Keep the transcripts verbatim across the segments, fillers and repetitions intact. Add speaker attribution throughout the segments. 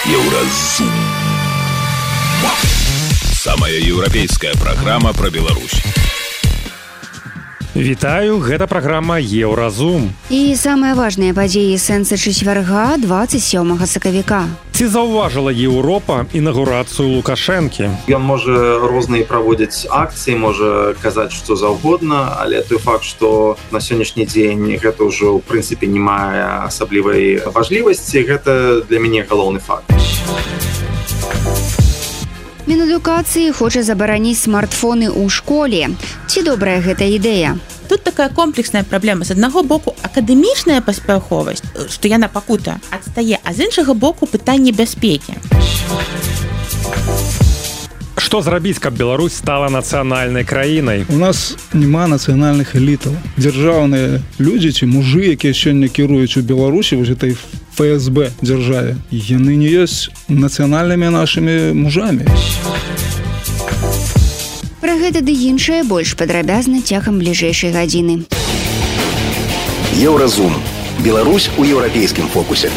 Speaker 1: Еўразум. Самая еўрапейская праграма пра Беларусь.
Speaker 2: Вітаю, гэта праграма Еўразум.
Speaker 3: І самыя важныя падзеі сэнса чацвярга дваццаць сёмага сакавіка.
Speaker 2: Ці заўважыла Еўропа інаўгурацыю Лукашэнкі?
Speaker 4: Ён можа розныя праводзіць акцыі, можа казаць што заўгодна, але той факт, што на сённяшні дзень гэта ўжо ў прынцыпе не мае асаблівай важлівасці, гэта для мяне галоўны факт.
Speaker 3: Мінадукацыі хоча забараніць смартфоны ў школе. Ці добрая гэта ідэя?
Speaker 5: Тут такая комплексная праблема. З аднаго боку акадэмічная паспяховасць, што яна пакута адстае, а з іншага боку пытанне бяспекі.
Speaker 2: Што зрабіць, каб Беларусь стала нацыянальнай краінай?
Speaker 6: У нас няма нацыянальных элітаў. Дзяржаўныя людзі ці мужы, якія сёння кіруюць у Беларусі, вось этой эф эс бэ дзяржаве, яны не ёсць нацыянальнымі нашымі мужамі.
Speaker 3: Пра гэта ды іншае больш падрабязна цягам бліжэйшай гадзіны.
Speaker 1: Еўразум. Беларусь у еўрапейскім фокусе.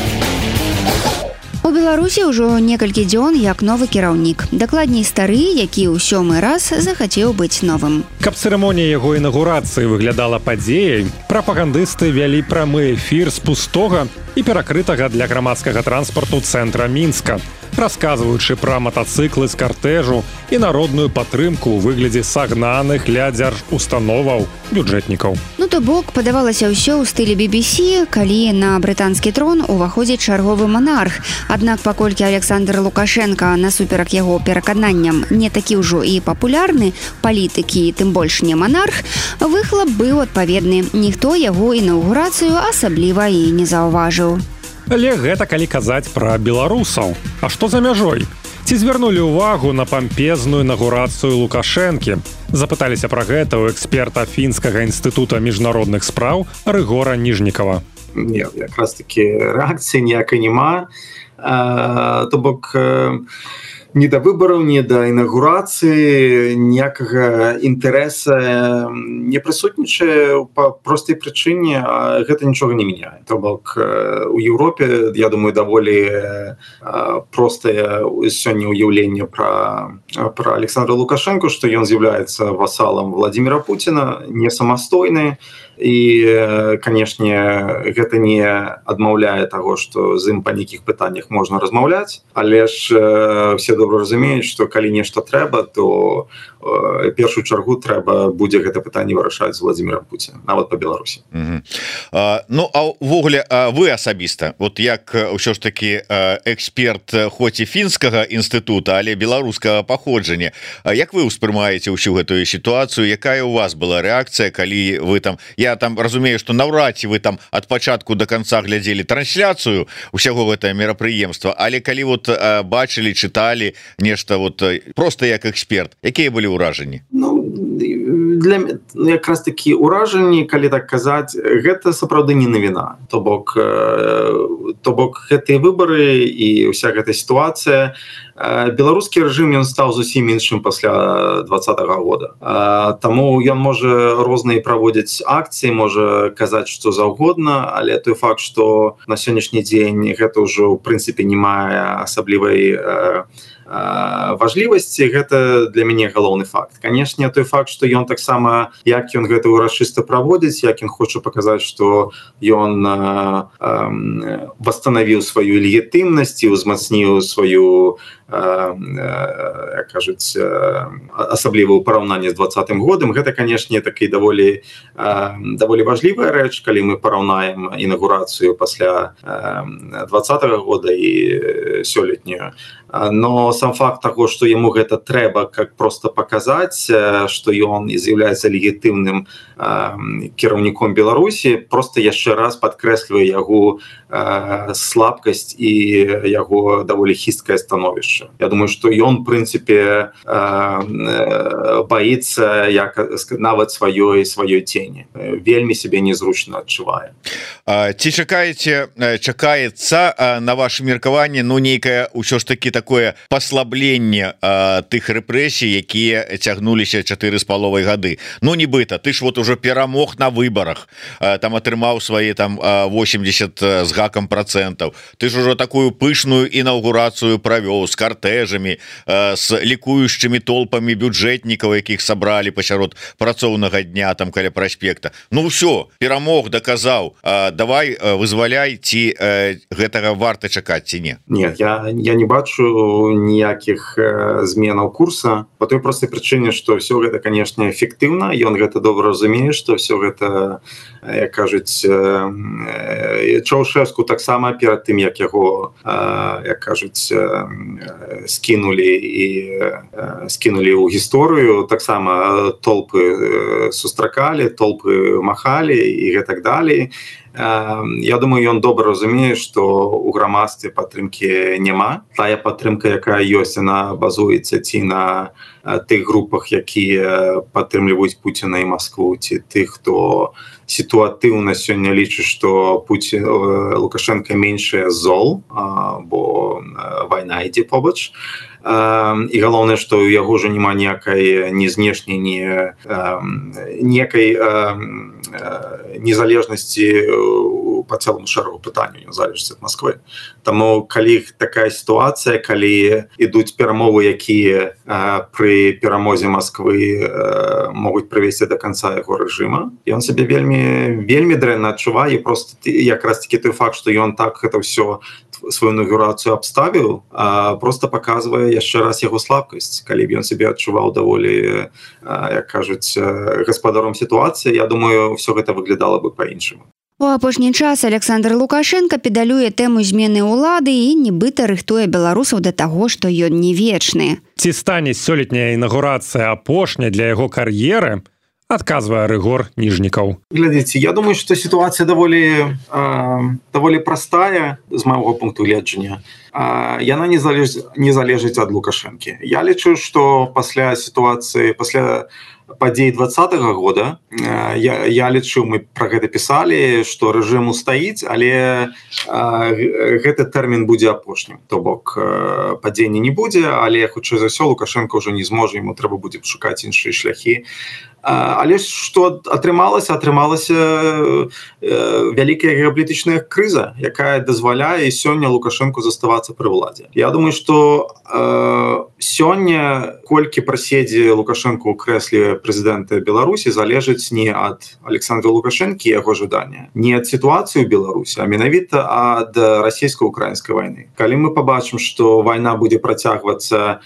Speaker 3: У Беларусі ўжо некалькі дзён як новы кіраўнік. Дакладней стары, які ў сёмы раз захацеў быць новым.
Speaker 2: Каб цырымонія яго інаўгурацыі выглядала падзеяй, прапагандысты вялі прамы эфір з пустога і перакрытага для грамадскага транспарту цэнтра Мінска, расказваючы пра матацыклы з картэжу і народную падтрымку ў выглядзе сагнаных ля дзяржустановаў бюджэтнікаў.
Speaker 3: Ну то бок, падавалася ўсё ў стылі би би сі, калі на брытанскі трон уваходзіць чарговы манарх. Аднак паколькі Александр Лукашенка насуперак яго перакананням не такі ўжо і папулярны палітыкі, тым больш не монарх, выхлап быў адпаведны. Ніхто яго інаўгурацыю асабліва і не заўважыў.
Speaker 2: Але гэта калі казаць пра беларусаў. А што за мяжой? Ці звярнулі ўвагу на пампезную інаўгурацыю Лукашэнкі? Запыталіся пра гэта ў эксперта Фінскага інстытута міжнародных спраў Рыгора Ніжнікава.
Speaker 4: Не, якраз такі рэакцыі ніякай няма. То бок ні да выбараў, ні да інаўгурацыі ніякага інтарэса не прысутнічае па простай прычыне, а гэта нічога не мяняе. То бок у Еўропе, я думаю, даволі простае сёння ўяўленне пра, пра Александра Лукашэнку, што ён з'яўляецца васалам Владзіміра Пуціна, не самастойны. І, канешне, гэта не адмаўляе таго, што з ім па нейкіх пытаннях можна размаўляць, але ж все добра разумеюць, што калі нешта трэба, то в першую чаргу трэба будзе гэта пытанне вырашаць з Владзімірам Пуціным, нават па Беларусі.
Speaker 7: Uh-huh. Uh, ну, а ўвогуле, uh, вы асабіста, вот як ўсё ж такі uh, эксперт хоць і Фінскага інстытута, але беларускага паходжання, uh, як вы ўспрымаеце ўсю гэтую сітуацыю, якая у вас была рэакцыя, калі вы там, я там разумею, што наўрад ці вы там ад пачатку до канца глядзелі трансляцыю ўсяго гэтае мерапрыемства, але калі вот uh, бачылі, чыталі нешта вот просто як эксперт, якія былі ўражанні?
Speaker 4: Ну, для якраз такі ўражанні, калі так казаць, гэта сапраўды не навіна. То бок, то бок гэтыя выбары і ўся гэта сітуацыя, беларускі рэжым ён стаў зусім іншым пасля двадцатага года. Таму ён можа розныя праводзіць акцыі, можа казаць што заўгодна, але той факт, што на сённяшні дзень гэта ўжо ў прынцыпе не мае асаблівай важлівасці, гэта для мяне галоўны факт. Канешне, той факт, што ён таксама, як ён гэта ўрачыста праводзіць, як ён хоча паказаць, што ён восстановіў сваю легітымнасць і ўзмацніў сваю, як кажуць, асабліва ў параўнанні з двадцатым годам. Гэта, канешне, такі даволі, даволі важлівая рэч, калі мы параўнаем інаўгурацыю пасля двадцатага года і сёлетнюю. Но сам факт таго, што яму гэта трэба как просто паказаць, што ён з'яўляецца легітымным кіраўніком Беларусі, просто яшчэ раз падкрэслівае яго слабкасць і яго даволі хісткае становішча. інша. Я думаю, што ён прынцыпе баіцца як нават сваёй сваёй тені, вельмі сябе незручна адчувае.
Speaker 7: Ці чакаеце чакаецца на ваше меркаванне ну нейкае ўсё ж таки такое паслабленне тых рэпрэсій, якія цягнуліся чатыры з паловай гады? Ну нібыта ты ж вот уже перамог на выбарах, там атрымаў свае там восемьдесят з гакам процентаў, ты ж ужо такую пышную інаўгурацыю правёў з картэжамі, з лікуючымі толпамі бюджэтнікаў, якіх сабралі пасярод працоўнага дня там каля праспекта. Ну ўсё, перамог, даказаў, давай вызваляй, ці гэтага варта чакаць ці не?
Speaker 4: Нет, я, я не бачу ніякіх зменаў курса по той простай прычыне, што ўсё гэта, канешне, эфектыўна, ён гэта добра разумее, што ўсё гэта, як кажуць, Чаўшэску таксама перад тым, як яго, як кажуць, скінулі і скінулі ў гісторыю, таксама толпы сустракалі, толпы махалі і гэтак далей. Я думаю, ён добра разумее, што ў грамадстве падтрымкі няма. Тая падтрымка, якая ёсць, яна базуецца ці на тых групах, якія падтрымліваюць Пуціна і Маскву, ці тых, хто сітуатыўна сёння лічыць, што Пуці... Лукашенко меншае зол, бо вайна ідзе побач. І галоўнае, што ў яго ж няма ніякай ні знешняй, ні ніякай незалежнасці по цэлому шэрагу пытанняў, незалежнасці ад Масквы. Таму калі такая сітуацыя, калі ідуць перамовы, якія пры перамозе Масквы могуць прывесці да канца яго рэжыма, ён сябе вельмі вельмі дрэнна адчувае, просто якраз такі той факт, што ён так гэта ўсё сваю інаўгурацыю абставіў, просто паказвае яшчэ раз яго слабкасць. Калі б ён сябе адчуваў даволі, як кажуць, гаспадаром сітуацыі, я думаю, ўсё гэта выглядала бы па-іншаму.
Speaker 3: У апошні час Александр Лукашенко педалюе тэму змены ўлады і нібыта рыхтуе беларусаў да таго, што ён не вечны.
Speaker 2: Ці стане сёлетняя інаўгурацыя апошняй для яго кар'еры, адказвае Рыгор Ніжнікаў.
Speaker 4: Глядзіце, я думаю, што сітуацыя даволі, э, даволі простая з майго пункту гледжання. Э, яна не залежыць, не залежыць ад Лукашэнкі. Я лічу, што пасля сітуацыі, пасля падзей двадцатага года, э, я, я лічу, мы пра гэта пісалі, што рэжым устаіць, але э, гэты тэрмін будзе апошнім. То бок э, падзення не будзе, але хутчэй за ўсё Лукашенко ўжо не зможа, яму трэба будзе шукаць іншыя шляхі. Але што атрымалася, атрымалася вялікая геапалітычная крыза, якая дазваляе сёння Лукашенку заставацца пры ўладзе. Я думаю, што э, сёння колькі праседзе Лукашенко ў крэсле прэзідэнта Беларусі залежыць не ад Александра Лукашэнкі і яго жадання, не ад сітуацыі ў Беларусі, а менавіта ад расійска-украінскай вайны. Калі мы пабачым, што вайна будзе працягвацца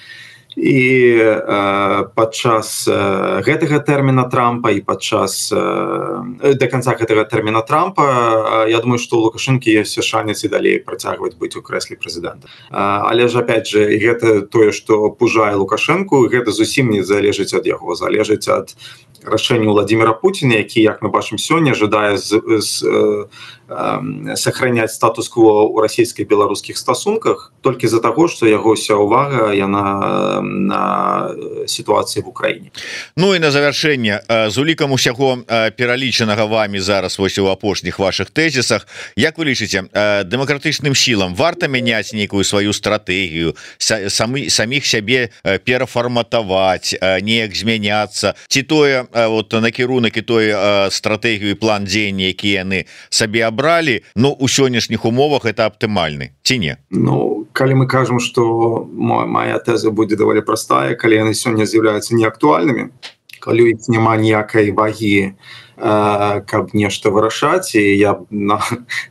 Speaker 4: і э, падчас э, гэтага тэрміна Трампа і падчас э, да канца гэтага тэрміна Трампа, э, я думаю, што ў Лукашэнкі ёсць шанец і далей працягваць быць у крэсле прэзідэнта. Э, але ж опять же, гэта тое, што пужае Лукашэнку, гэта зусім не залежыць ад яго, залежыць ад рашэння Владимира Путина, які, як мы бачым сёння, жадае з, з, э, э, сохраняць статус-кво ў расійска-беларускіх стасунках толькі з-за таго, што яго ўся ўвага яна на сітуацыі в Украіне.
Speaker 7: Ну і на завяршэнне, з улікам усяго пералічанага вамі зараз вось у апошніх вашых тэзісах, як вы лічыце, дэмакратычным сілам варта мяняць нейкую сваю стратэгію, самі, саміх сябе перафарматаваць, неяк змяняцца, ці тое вот накірунак і той стратэгію і план дзеяння, які яны сабе абралі, ну у сённяшніх умовах это аптымальны, ці не?
Speaker 4: Ну, калі мы кажам, што моя тэза будзе даволі простая, калі яны сёння з'яўляюцца неактуальнымі, калі іх няма ніякай вагі, каб нешта вырашаць, і я на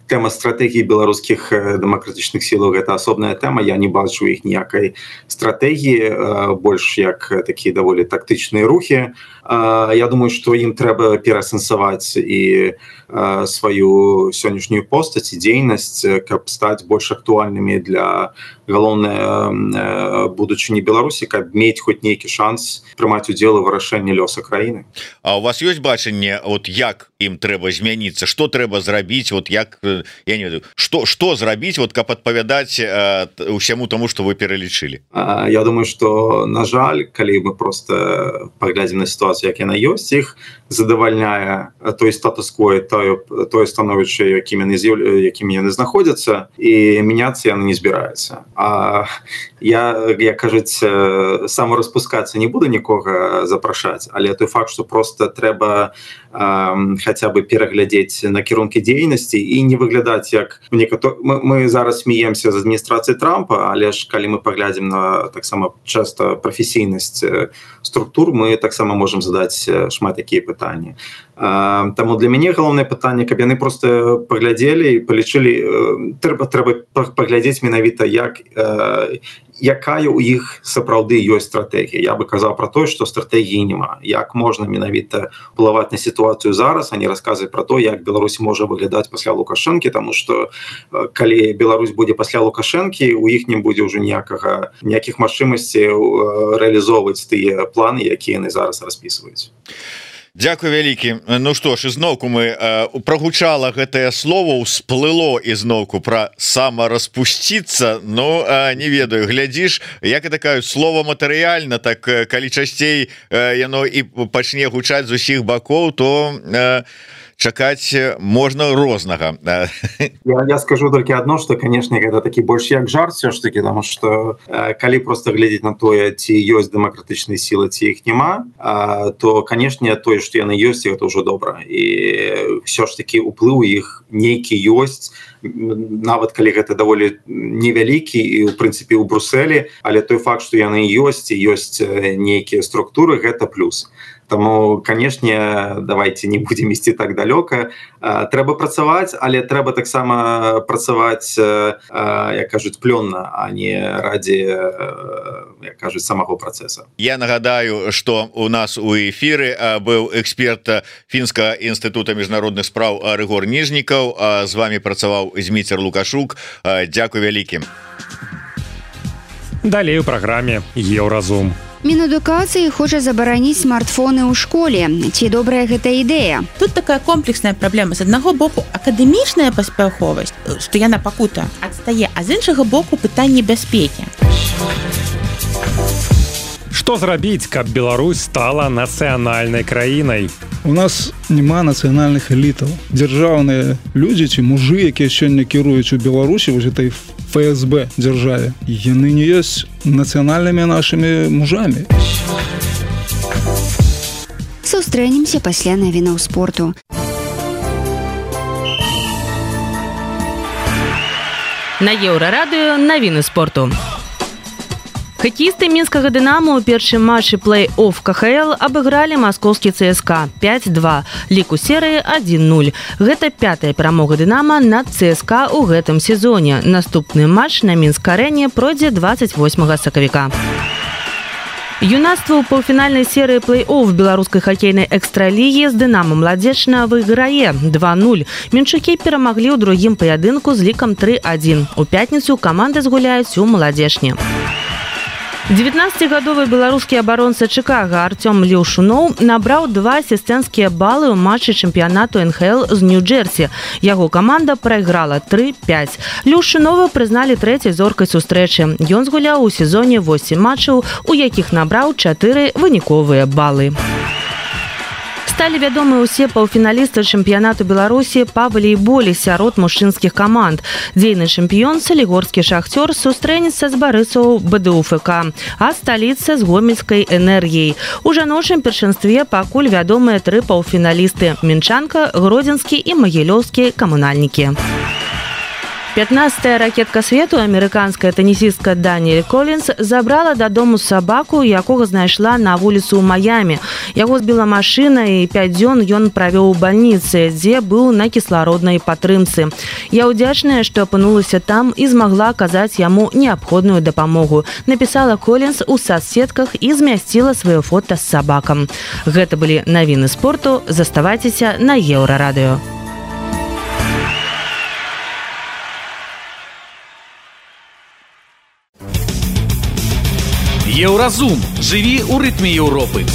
Speaker 4: тэма стратэгіі беларускіх дэмакратычных сілаў гэта асобная тэма, я не бачу іх ніякай стратэгіі, больш як такія даволі тактычныя рухі. Я думаю, што ім трэба пераасэнсаваць і сваю сённяшнюю постаць і дзейнасць, каб стаць больш актуальнымі для галоўнай будучыні Беларусі, каб мець хоць нейкі шанс прымаць удзел у вырашэнні лёса краіны.
Speaker 7: А у вас ёсць бачанне, от як ім трэба змяніцца, што трэба зрабіць, вот як я не ведаю, што што зрабіць, вот каб адпавядаць усяму тому, што вы пералічылі.
Speaker 4: Я думаю, што на жаль, калі мы просто паглядзім на сітуацыю, як яна ёсць, іх задавальняе той статус-кво, тое тое становішча, якім яны якім яны знаходзяцца, і мяняцца яны не збіраюцца. А я, як кажуць, самараспускацца не буду нікога запрашаць, але той факт, што просто трэба э, хаця бы пераглядзець накірункі дзейнасці і не выглядаць як некатор... мы, мы зараз смеемся з адміністрацыі Трампа, але ж калі мы паглядзім на таксама часта прафесійнасць структур, мы таксама можам задаць шмат такія пытанні. Э, таму для мяне галоўнае пытанне, каб яны просто паглядзелі і палічылі, э, трэба трэба паглядзець менавіта як э, якая у іх сапраўды ёсць стратэгія. Я бы казаў пра тое, што стратэгіі няма. Як можна менавіта ўплываць на сітуацыю зараз, а не расказваць пра то, як Беларусь можа выглядаць пасля Лукашэнкі, таму што калі Беларусь будзе пасля Лукашэнкі, у іх не будзе ўжо ніякага ніякіх магчымасцей рэалізоўваць тыя планы, якія яны зараз распісваюць.
Speaker 7: Дзякуй вялікі. Ну што ж, ізноўку мы э, прагучала гэтае слово, усплыло ізноўку пра самараспусціцца. Ну э, не ведаю, глядзіш, як і такая слова матэрыяльна, так э, калі часцей э, яно і пачне гучаць з усіх бакоў, то э, чакаць можна рознага.
Speaker 4: Я, я скажу толькі адно, што, канешне, гэта такі больш як жарт все ж таки, таму што э, калі просто глядзець на тое, ці ёсць дэмакратычныя сілы, ці іх няма, э, то, канешне, тое, што яны ёсць, гэта ўжо добра. І все ж таки уплыў іх нейкі ёсць, нават калі гэта даволі невялікі і, ў прынцыпе, у Брусэлі, але той факт, што яны ёсць, і ёсць нейкія структуры, гэта плюс. Таму, канешне, давайте не будзем ісці так далёка. Трэба працаваць, але трэба таксама працаваць, як кажуць, плённа, а не ради, як кажуць, самого працэса.
Speaker 7: Я нагадаю, што у нас у эфіры быў эксперт Фінскага інстытута міжнародных спраў Рыгор Ніжнікаў. З вами працаваў Зміцер Лукашук. Дзякуй вялікі.
Speaker 2: Далей у праграме Еўразум.
Speaker 3: Мінэдукацыі хоча забараніць смартфоны ў школе. Ці добрая гэта ідэя?
Speaker 5: Тут такая комплексная праблема. З аднаго боку акадэмічная паспяховасць, што яна пакута адстае, а з іншага боку пытанне бяспекі.
Speaker 2: Што зрабіць, каб Беларусь стала нацыянальнай краінай?
Speaker 6: У нас няма нацыянальных элітаў. Дзяржаўныя людзі ці мужы, якія сёння кіруюць у Беларусі, вось этой эф эс бэ дзяржаве, яны не ёсць нацыянальнымі нашымі мужамі.
Speaker 3: Сустрэнемся пасля навінаў спорту.
Speaker 8: На Еўрарадыё навіны спорту. Хакеісты мінскага «Дынамо» ў першым матчы плэй-офф ка ха эл абыгралі маскоўскі цэ эс ка пяць два, лік у серыі адзін нуль. Гэта пятая перамога «Дынамо» над цэ эс ка ў гэтым сезоне. Наступны матч на Мінск-арэне пройдзе дваццаць восьмага сакавіка. Юнацтва ў паўфінальнай серыі плэй-офф беларускай хакейнай экстралігі з «Дынамо» Младзечна выйграе два нуль. Менчукі перамаглі ў другім паядынку з лікам тры адзін. У пятніцу каманды згуляюць у Маладзечні. дзевятнаццацігадовы беларускі абаронца Чыкага Артём Леўшуноў набраў два асістэнцкія балы ў матчы чэмпіянату эн ха эл з Нью-Джерсі. Яго каманда прайграла тры пяць. Леўшунова прызналі трэцяй зоркай сустрэчы. Ён згуляў у сезоне восем матчаў, у якіх набраў чатыры выніковыя балы. Сталі вядомы ўсе паўфіналісты чэмпіянату Беларусі па валейболе сярод мужчынскіх каманд. Дзейны чэмпіён салігорскі «Шахцёр» сустрэнецца з барысаў бэ дэ у эф ка, а сталіца з гомельскай «Энергіяй». У жаночым першынстве пакуль вядомыя тры паўфіналісты – Мінчанка, Гродзенскі і Магілёўскі камунальнікі. пятнадцатая ракетка свету, амерыканская тэнісістка Даніэль Колінс, забрала дадому сабаку, якога знайшла на вуліцу ў Маямі. Яго збіла машына, і пяць дзён ён правёў у бальніцы, дзе быў на кіслароднай падтрымцы. Я ўдзячная, што апынулася там і змагла аказаць яму неабходную дапамогу, напісала Колінс у сацсетках і змясціла сваё фота з сабакам. Гэта былі навіны спорту. Заставайцеся на Еўрарадыё.
Speaker 9: Еўразум. Жыві ў рытме Еўропы.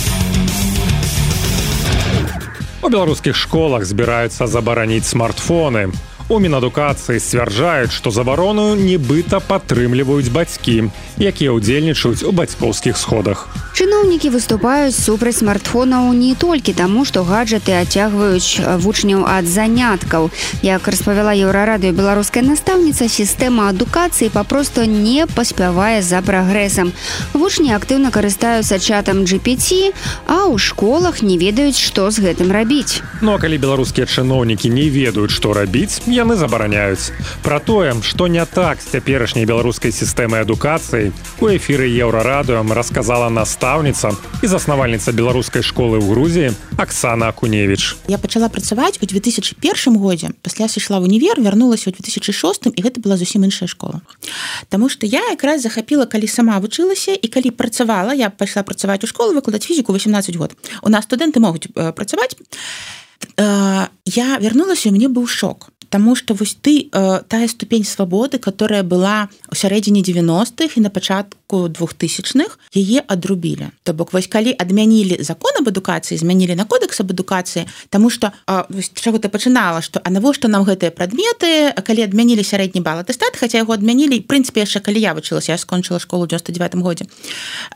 Speaker 2: У беларускіх школах збіраюцца забараніць смартфоны. У Мінадукацыі сцвярджаюць, што забарону нібыта падтрымліваюць бацькі, якія ўдзельнічаюць у бацькоўскіх сходах.
Speaker 3: Чыноўнікі выступаюць супраць смартфонаў не толькі таму, што гаджеты адцягваюць вучняў ад заняткаў. Як распавяла Еўрарадыё беларуская настаўніца, сістэма адукацыі папросту не паспявае за прагрэсам. Вучні актыўна карыстаюцца чатам джи пі ти, а ў школах не ведаюць, што з гэтым рабіць.
Speaker 2: Ну а калі беларускія чыноўнікі не ведаюць, што рабіць, яны забараняюць. Пра тое, што не так з цяперашняй беларускай сістэмай адукацыі, у эфіры Еўрарадыё расказала настаўніца і заснавальніца беларускай школы ў Грузіі Аксана Акуневіч.
Speaker 5: Я пачала працаваць у две тысячы першым годзе, пасля сышла ў універ, вярнулася ў две тысячы шостым, і гэта была зусім іншая школа. Таму што я якраз захапіла, калі сама вучылася і калі працавала, я пайшла працаваць у школу, выкладаць фізіку васемнаццаць год. У нас студэнты могуць працаваць. Я вярнулася, і мне быў шок. Таму што вось ты э, тая ступень свабоды, которая была ў сярэдзіне девяностых і на пачатку двухтысячных, яе адрубілі. То бок вось калі адмянілі закон аб адукацыі, змянілі на кодекс аб адукацыі, таму што э, вось чаго ты пачынала, што а навошта нам гэтыя прадметы, калі адмянілі сярэдні бал атэстат, хаця яго адмянілі, в прынцыпе, яшчэ калі я вучылася, я скончыла школу ў дзевяносто девятым годзе.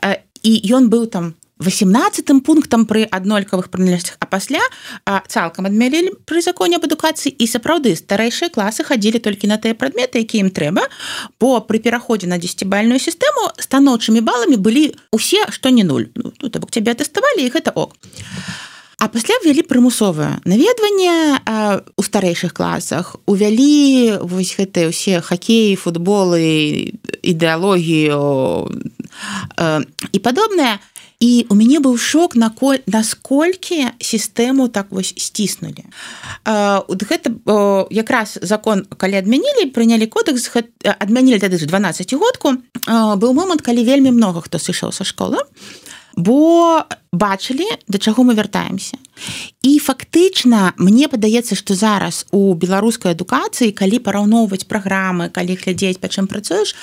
Speaker 5: Э, і ён быў там восемнадцатым пунктам пры аднолькавых прыналежнасцях, а пасля а, цалкам адмянілі пры законе аб адукацыі, і сапраўды старэйшыя класы хадзілі толькі на тыя прадметы, якія ім трэба, бо пры пераходзе на дзесяцібальную сістэму станоўчымі баламі былі усе, што не нуль. Ну, то бок цябе атэставалі, і гэта ок. А пасля ввялі прымусовае наведванне а, у старэйшых класах, увялі вось гэтыя ўсе хакеі, футболы, ідэалогію а, і падобнае. І у мяне быў шок, насколькі сістэму так вось сціснулі. Гэта якраз закон, калі адмянілі, прынялі кодекс, адмянілі тады ж дванаццацігодку, быў момант, калі вельмі многа хто сышоў са школы, бо бачылі, да чаго мы вяртаемся. І фактычна, мне падаецца, што зараз у беларускай адукацыі, калі параўноўваць праграмы, калі глядзець, па чым працуеш,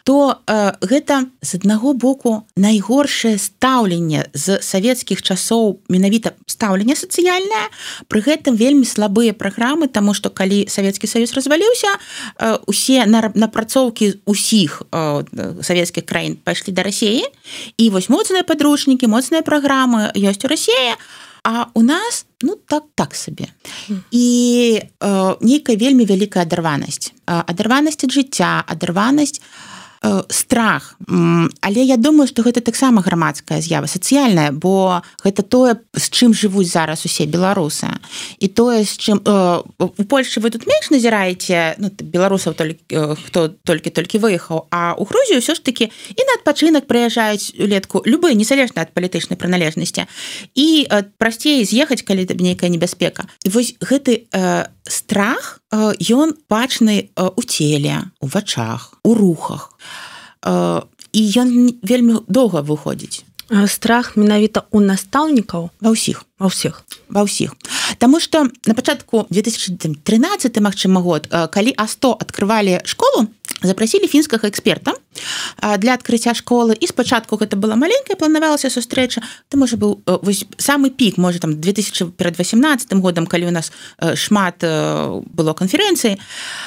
Speaker 5: то э, гэта з аднаго боку найгоршае стаўленне з савецкіх часоў, менавіта стаўленне сацыяльнае, пры гэтым вельмі слабыя праграмы, таму што калі Савецкі Саюз разваліўся, э, усе напрацоўкі ўсіх э, савецкіх краін пайшлі да Расіі, і вось моцныя падручнікі, моцныя праграмы ёсць у Расіі, а у нас ну так так сабе. І э, нейкая вельмі вялікая адарванасць. Э, адарванасць ад жыцця, адарванасць страх, але я думаю, што гэта таксама грамадская з'ява, сацыяльная, бо гэта тое, з чым жывуць зараз усе беларусы. І тое, з чым у Польшчы вы тут менш назіраеце, ну, беларусаў хто толькі-толькі выехаў, а ў Грузію ўсё ж такі і на адпачынак прыязджаюць улетку любы, незалежна ад палітычнай прыналежнасці. І прасцей з'ехаць, калі нейкая небяспека. І вось гэты э, страх, э, ён бачны э, у целе, у вачах, у рухах. І ён вельмі доўга выходзіць.
Speaker 8: Страх менавіта ў настаўнікаў?
Speaker 5: Ва ўсіх.
Speaker 8: Ва ўсіх.
Speaker 5: Ва ўсіх. Таму што на пачатку две тысячы трынаццаты, магчыма, год, калі А сто адкрывалі школу, запрасілі фінскага эксперта для адкрыцця школы, і спачатку гэта была маленькая, планавалася сустрэча, то можа быў вось самы пік, можа там две тысячы восемнадцатым годам, калі у нас шмат было канферэнцый,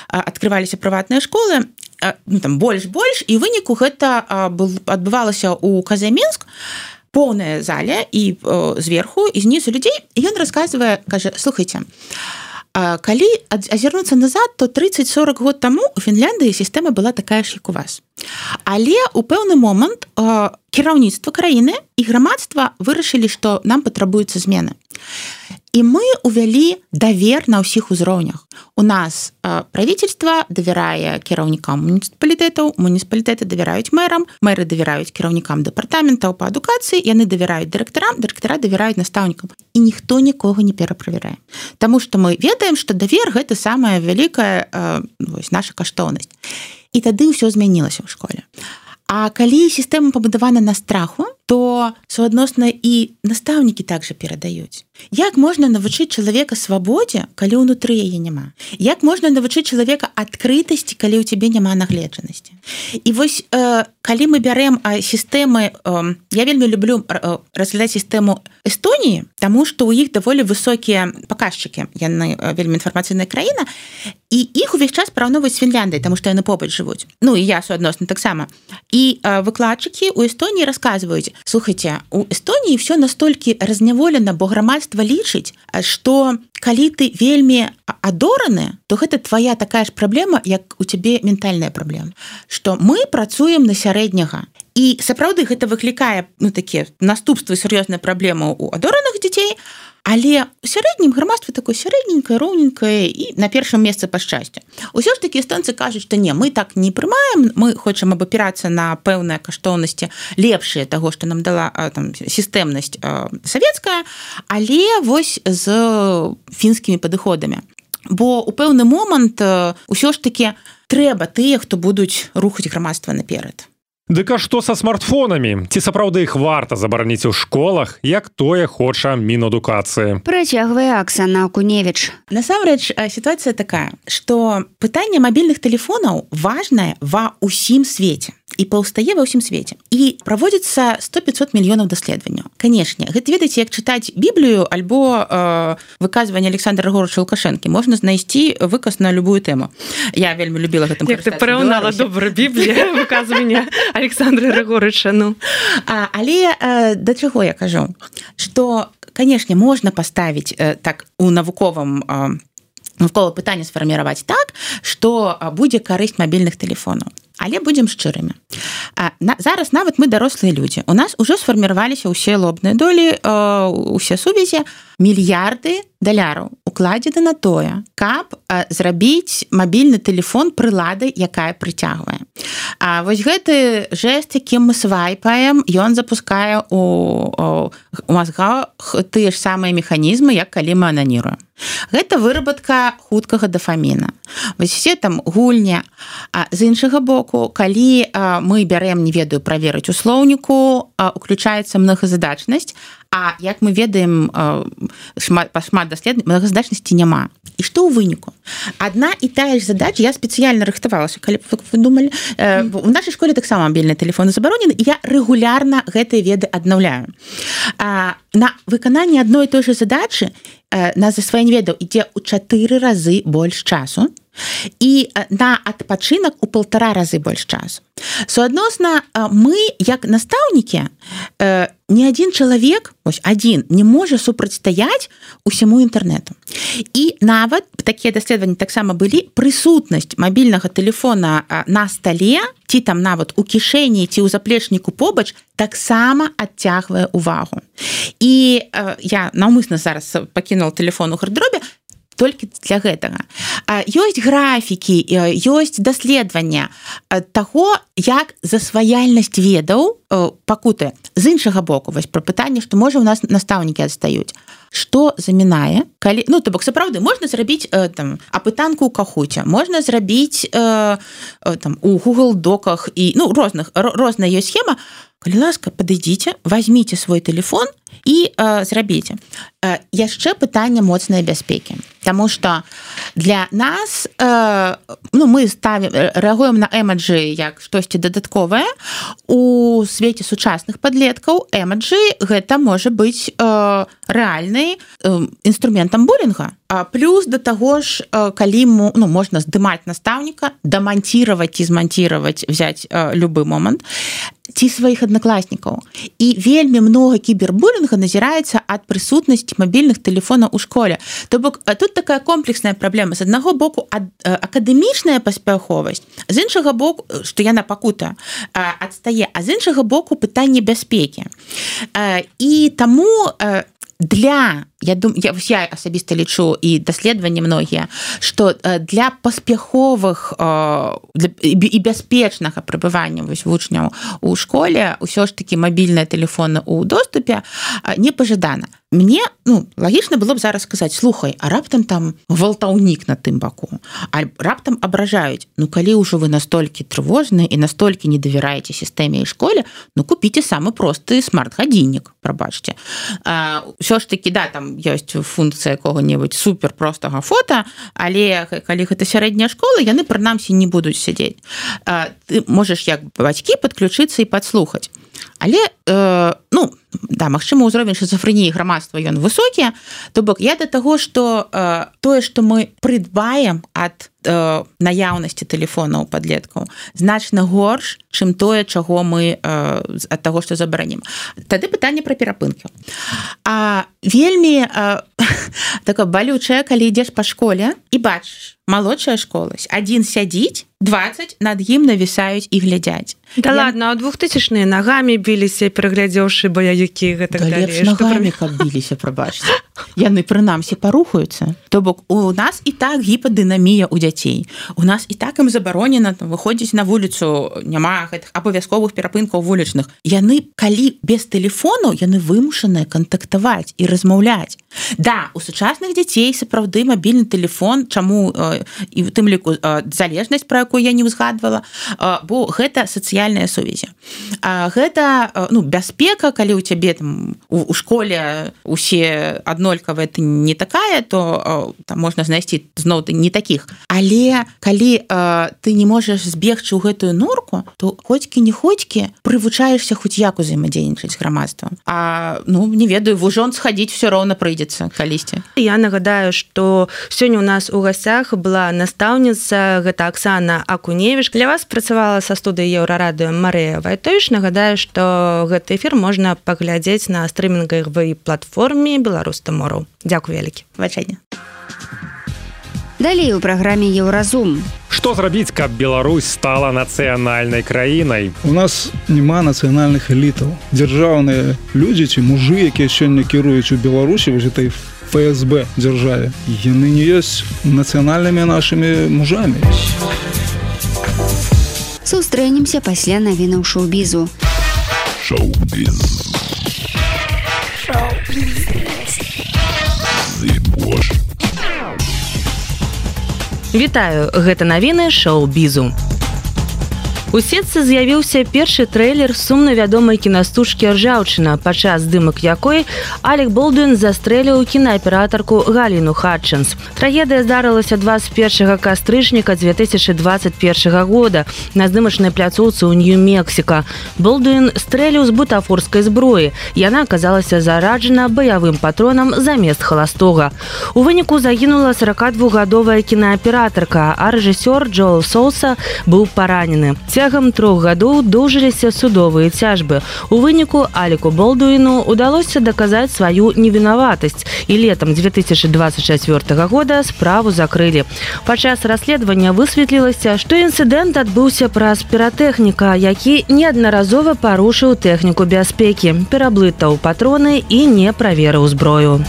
Speaker 5: адкрываліся прыватныя школы, ну, там больш-больш, і выніку гэта адбывалася ў Казамінск, поўная заля, і зверху, і знізу людзей, і ён расказвае, кажа, слухайце, калі азірнуцца назад, то тридцать-сорок год таму у Фінляндыі сістэма была такая ж, як у вас. Але у пэўны момант кіраўніцтва краіны і грамадства вырашылі, што нам патрабуюцца змены. І мы увялі давер на ўсіх узроўнях. У нас правительства давярае кіраўнікам муніцыпалітэтаў, муніцыпалітэты давяраюць мэрам, мэры давяраюць кіраўнікам дэпартаментаў па адукацыі, яны давяраюць дырэктарам, дырэктара давяраюць настаўнікам. І ніхто нікога не пераправярае. Таму што мы ведаем, што давер гэта самая вялікая вось, наша каштоўнасць. І тады ўсё змянілася ў школе. А калі сістэма пабудавана на страху, то суадносна і настаўнікі также перадаюць. Як можна навучыць чалавека свабодзе, калі ўнутры яе няма? Як можна навучыць чалавека адкрытасці, калі ў цябе няма нагледжанасці? І вось калі мы бярем сістэмы, я вельмі люблю разглядаць сістэму Эстоніі, таму што ў іх даволі высокія паказчыкі, яны вельмі інфармацыйная краіна, і іх увесь час параўноўваюць з Фінляндыяй, таму што яны побач жывуць. Ну і я суадносна таксама. І выкладчыкі ў Эстоніі расказваюць: слухайце, у Эстоніі ўсё настолькі разняволена, бо грамадства лічыць, што калі ты вельмі адораны, то гэта твоя такая ж праблема, як у цябе ментальная праблема. Што мы працуем на сярэдняга. І сапраўды гэта выклікае, ну, такія наступствы, сур'ёзныя праблемы у адораных дзяцей, але у сярэднім грамадства такое сярэдненькае, роўненькае і на першым месцы па шчасцю. Усё ж такі эстонцы кажуць, што не, мы так не прымаем, мы хочам абапірацца на пэўныя каштоўнасці лепшыя таго, што нам дала там сістэмнасць савецкая, але вось з фінскімі падыходамі. Бо у пэўны момант усё ж такі трэба тыя, хто будуць рухаць грамадства наперад.
Speaker 2: Дык а што са смартфонамі? Ці сапраўды іх варта забараніць у школах, як тое хоча Мінадукацыі?
Speaker 3: Працягвае Аксана Акуневіч.
Speaker 5: Насамрэч, сітуацыя такая, што пытанне мабільных тэлефонаў важнае ва ўсім свеце. І паўстае ва ўсім свеце. І праводзіцца сто пятьсот мільёнаў даследаванняў. Канешне, гэта, ведаеце, як чытаць Біблію альбо э, выказванне Александра Григорьевича Лукашэнкі. Можна знайсці выказ на любую тэму. Я вельмі любіла гэтым карыстацца.
Speaker 8: Як ты параўнала добра Біблію, выказванне Александра Григорьевича, ну.
Speaker 5: А, але э, да чаго я кажу? Што, канешне, можна паставіць э, так у навуковым э, навуковае пытанне сфарміраваць так, што будзе карысць мабільных тэлефонаў. Але будзем шчырымі. Зараз нават мы дарослыя людзі. У нас ужо сфарміраваліся ўсе лобныя долі, усе сувязі, мільярды даляраў укладзены на тое, каб зрабіць мабільны тэлефон прыладай, якая прыцягвае. А вось гэты жэст, якім мы свайпаем, ён запускае у мазгах тыя ж самыя механізмы, як калі мы ананіруем. Гэта выработка хуткага дафаміна. Вось все там гульні. А з іншага боку, калі мы бярем, не ведаю, праверыць у слоўніку, уключаецца многазадачнасць, а як мы ведаем шмат, па шмат даследаванняў, многазадачнасці няма. І што ў выніку? Адна і тая ж задача, я спецыяльна рыхтавалася, калі б вы думалі, mm. у нашай школе таксама мабільныя тэлефоны забаронены, і я рэгулярна гэтыя веды аднаўляю. На выкананне адной і той жа задачы на засваенне ведаў ідзе ў чатыры разы больш часу, і на адпачынак у паўтара разы больш часу. Суадносна, мы, як настаўнікі, ні адзін чалавек, ось адзін, не можа супрацьстаяць усяму інтэрнэту. І нават такія даследаванні таксама былі, прысутнасць мабільнага тэлефона на стале, ці там нават у кішэні, ці ў заплечніку побач, таксама адцягвае ўвагу. І я наўмысна зараз пакінула тэлефон у гардеробе, толькі для гэтага. Ёсць графікі, ёсць даследавання таго, як засваяльнасць ведаў пакутае. З іншага боку, вось пра пытанне, што можа у нас настаўнікі адстаюць. Што замінае, калі, ну, то бок сапраўды можна зрабіць там апытанку ў Кахуце, можна зрабіць там у Google доках і ну розных розная ёсць схема. Калі ласка, падыдзіце, вазьміце свой тэлефон і э, зрабіце. Э, яшчэ пытанне моцнай бяспекі. Таму што для нас э, ну, мы ставім, рэагуем на эмаджы як штосьці дадатковае. У свеце сучасных падлеткаў эмаджы гэта можа быць э, рэальны э, інструментам булінга. А плюс да таго ж, э, калі му, ну, можна здымаць настаўніка, даманціраваць і зманціраваць, взяць э, любы момант, ці сваіх аднакласнікаў. І вельмі многа кібербулінга назіраецца ад прысутнасці мабільных тэлефонаў у школе. То бок, тут такая комплексная праблема. З аднаго боку, ад, акадэмічная паспяховасць, з іншага боку, што яна пакута, адстае, а з іншага боку, пытанне бяспекі. І таму для, я думаю, я, я асабіста лічу і даследаванні многія, што для паспяховых для, і бяспечнага прыбывання вось вучняў у школе ўсё ж такі мабільныя тэлефоны ў доступе не пажадана. Мне, ну, лагічна было б зараз сказаць: слухай, а раптам там гвалтаўнік на тым баку, а раптам абражаюць. Ну, калі ўжо вы настолькі трывожныя і настолькі не давяраеце сістэме і школе, ну, купіце самы просты смарт-гадзіннік, прабачце. Усё ж такі, да, там там ёсць функцыя якога-небудзь супер простага фота, але калі гэта сярэдняя школа, яны прынамсі не будуць сядзець. Ты можаш як бацькі падключыцца і падслухаць. Але э, ну да, магчыма, ўзровень шизофрэніі грамадства ён высокі, то бок я да таго, што э, тое, што мы прыдбаем ад э, наяўнасці тэлефона ў падлеткаў, значна горш, чым тое, чаго мы э, ад таго, што забаранім. Тады пытанне пра перапынкі. А вельмі э, такое балючае, калі ідзеш па школе і бачыш малодшая школа, адзін сядзіць, дваццаць над ім навісаюць і глядзяць.
Speaker 8: Да я... ладно, а двухтысячныя нагамі біліся, пераглядзеўшы баяюкі гэтак
Speaker 5: да далей. Лепш нагамі, каб біліся, прабачце. Яны прынамсі парухаюцца. То бок у нас і так гіпадынамія ў дзяцей. У нас і так ім забаронена выходзіць на вуліцу, няма гэтых абавязковых перапынкаў вулічных. Яны, калі без тэлефону, яны вымушаныя кантактаваць і размаўляць. Да, у сучасных дзяцей сапраўды мабільны тэлефон, чаму э, і ў тым ліку э, залежнасць, пра якую я не ўзгадвала, э, бо гэта сацыяльныя сувязі. А гэта э, ну, бяспека, калі ў цябе там, у, у школе усе аднолькавыя, ты не такая, то э, там можна знайсці зноў не такіх. Але калі э, ты не можаш збегчы ў гэтую норку, то хоцькі-не-хоцькі прывучаешся хоць як узаемадзейнічаць з грамадствам. А ну, не ведаю, в ужон схадзіць все роўна прыйдзе калісьці.
Speaker 8: Я нагадаю, што сёння у нас у гасцях была настаўніца, гэта Аксана Акуневіч. Для вас працавала са студыі Еўрарадыё Марыя Вайтовіч. Нагадаю, што гэты эфір можна паглядзець на стрымінгавай платформе Беларусь Тамору. Дзякуй вялікі.
Speaker 5: Бачэнне.
Speaker 3: Далей у праграме Еўразум.
Speaker 2: Што зрабіць, каб Беларусь стала нацыянальнай краінай?
Speaker 6: У нас няма нацыянальных элітаў. Дзяржаўныя людзі ці мужы, якія сёння кіруюць у Беларусі, вось этой эф эс бэ дзяржаве, яны не ёсць нацыянальнымі нашымі мужамі.
Speaker 3: Сустрэнемся пасля навінаў шоу-бізу.
Speaker 1: Шоу-біз. Шоу-біз. Зыбош.
Speaker 8: Вітаю, гэта навіны шоу-бізу. У сетцы з'явіўся першы трэйлер сумна вядомай кінастужкі «Ржаўчына», падчас здымак якой Алек Болдуін застрэліў кінааператарку Галіну Хатчынс. Трагедыя здарылася дваццаць першага кастрычніка дзве тысячы дваццаць першага года на здымачнай пляцоўцы ў Нью-Мексіка. Болдуін стрэліў з бутафорскай зброі. Яна аказалася зараджана баявым патронам замест халастога. У выніку загінула сорокадвухгадовая кінааператарка, а рэжысёр Джоэл Соуса быў паранены. Цягам трох гадоў доўжыліся судовыя цяжбы. У выніку Алеку Болдуіну удалося даказаць сваю невінаватасць, і летам дзве тысячы дваццаць чацвёртага года справу закрылі. Падчас расследавання высветлілася, што інцыдэнт адбыўся праз піратэхніка, які неаднаразова парушыў тэхніку бяспекі, пераблытаў патроны і не праверыў зброю.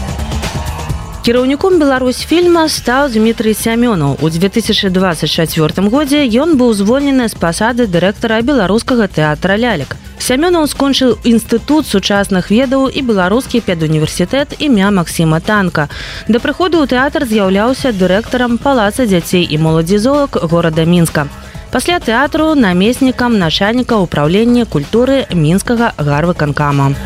Speaker 8: Кіраўніком Беларусьфільма стаў Дмітрый Сямёнаў. У дзве тысячы дваццаць чацвёртым годзе ён быў звольнены з пасады дырэктара беларускага тэатра лялек. Сямёнаў скончыў інстытут сучасных ведаў і беларускі педуніверсітэт імя Максіма Танка. Да прыходу ў тэатр з'яўляўся дырэктарам палаца дзяцей і моладзі-золак горада Мінска. Пасля тэатру намеснікам начальніка ўпраўлення культуры мінскага гарвыканкама.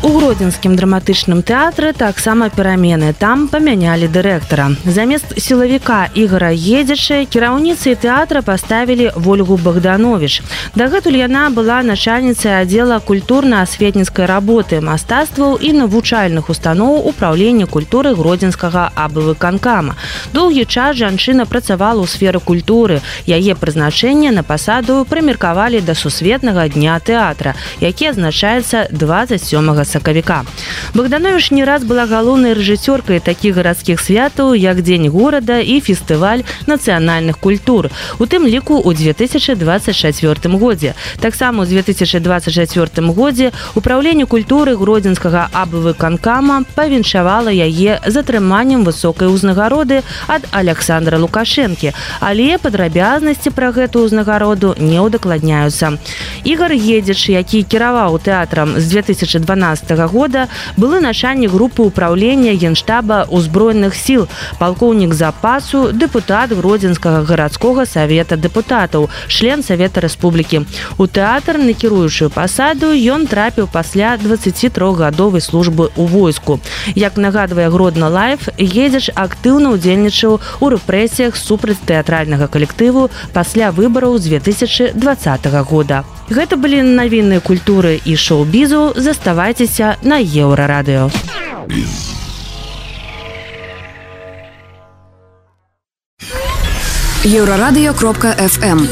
Speaker 8: У гродзенскім драматычным тэатры таксама перамены. Там памянялі дырэктара. Замест сілавіка Ігора Едзіча кіраўніцай тэатра паставілі Вольгу Богданович. Дагэтуль яна была начальніцай аддзела культурна-асветніцкай работы, мастацтваў і навучальных устаноў управлення культуры гродзенскага абвыканкама. Доўгі час жанчына працавала ў сферы культуры. Яе прызначэнне на пасаду прымеркавалі да сусветнага дня тэатра, які адзначаецца дваццаць сёмага сакавіка. Богданович не раз была галоўнай рэжысёркай такіх гарадскіх святаў, як Дзень горада і фестываль нацыянальных культур, у тым ліку ў дзве тысячы дваццаць чацвёртым годзе. Таксама ў дзве тысячы дваццаць чацвёртым годзе ўпраўленне культуры гродзенскага абвыканкама павіншавала яе з атрыманнем высокай узнагароды ад Александра Лукашэнкі, але падрабязнасці пра гэтую узнагароду не ўдакладняюцца. Ігор Едзіч, які кіраваў тэатрам з дзве тысячы дванаццатага дванаццатага года былы начальнік групы ўправлення генштаба ўзброеных сіл, палкоўнік запасу, дэпутат Гродзенскага гарадскога савета дэпутатаў, член Савета Рэспублікі. У тэатр на кіруючую пасаду ён трапіў пасля дваццацітрохгадовай службы ў войску. Як нагадвае Гродно Лайф, Гедзяч актыўна ўдзельнічаў у рэпрэсіях супраць тэатральнага калектыву пасля выбараў з две тысячы дваццатага года. Гэта былі навіны культуры і шоу-бізу. Заставайцеся на Еўрарадыё.
Speaker 9: еўрарадыё кропка эф эм.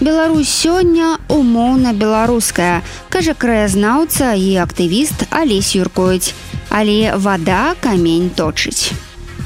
Speaker 3: Беларусь сёння умоўна беларуская, кажа краязнаўца і актывіст Алесь Юркоіць. Але вада камень точыць.